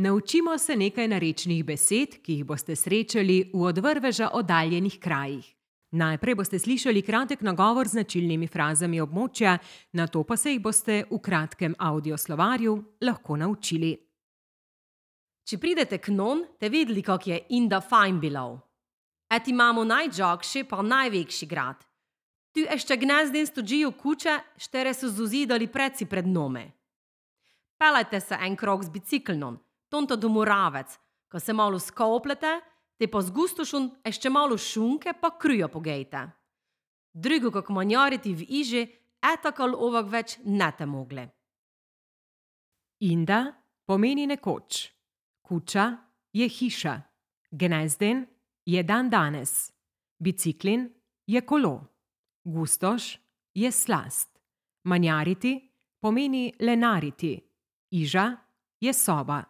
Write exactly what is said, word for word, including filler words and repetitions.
Naučimo se nekaj narečnih besed, ki jih boste srečali v od vrveža oddaljenih krajih. Najprej boste slišali kratek nagovor z značilnimi frazami območja, nato pa se jih boste v kratkem audioslovarju lahko naučili. Či pridete k non, te videli, kak je inda fajn bilov. Et imamo najđakši pa najvekši grad. Tu ešte gnezden stođiju kuće, štere su zuzidali preci pred nome. Pelajte se en krok z biciklnom, tonto do Moravec, ko se malo skoplete, te pa z gustošun ešte malo šunke pa krujo pogejte. Drugo kak manjariti v iži, etakal ovak več ne te mogle. Inda pomeni nekoč. Kuča je hiša. Gnezden je dan danes. Biciklin je kolo. Gustoš je slast. Manjariti pomeni lenariti. Iža je soba.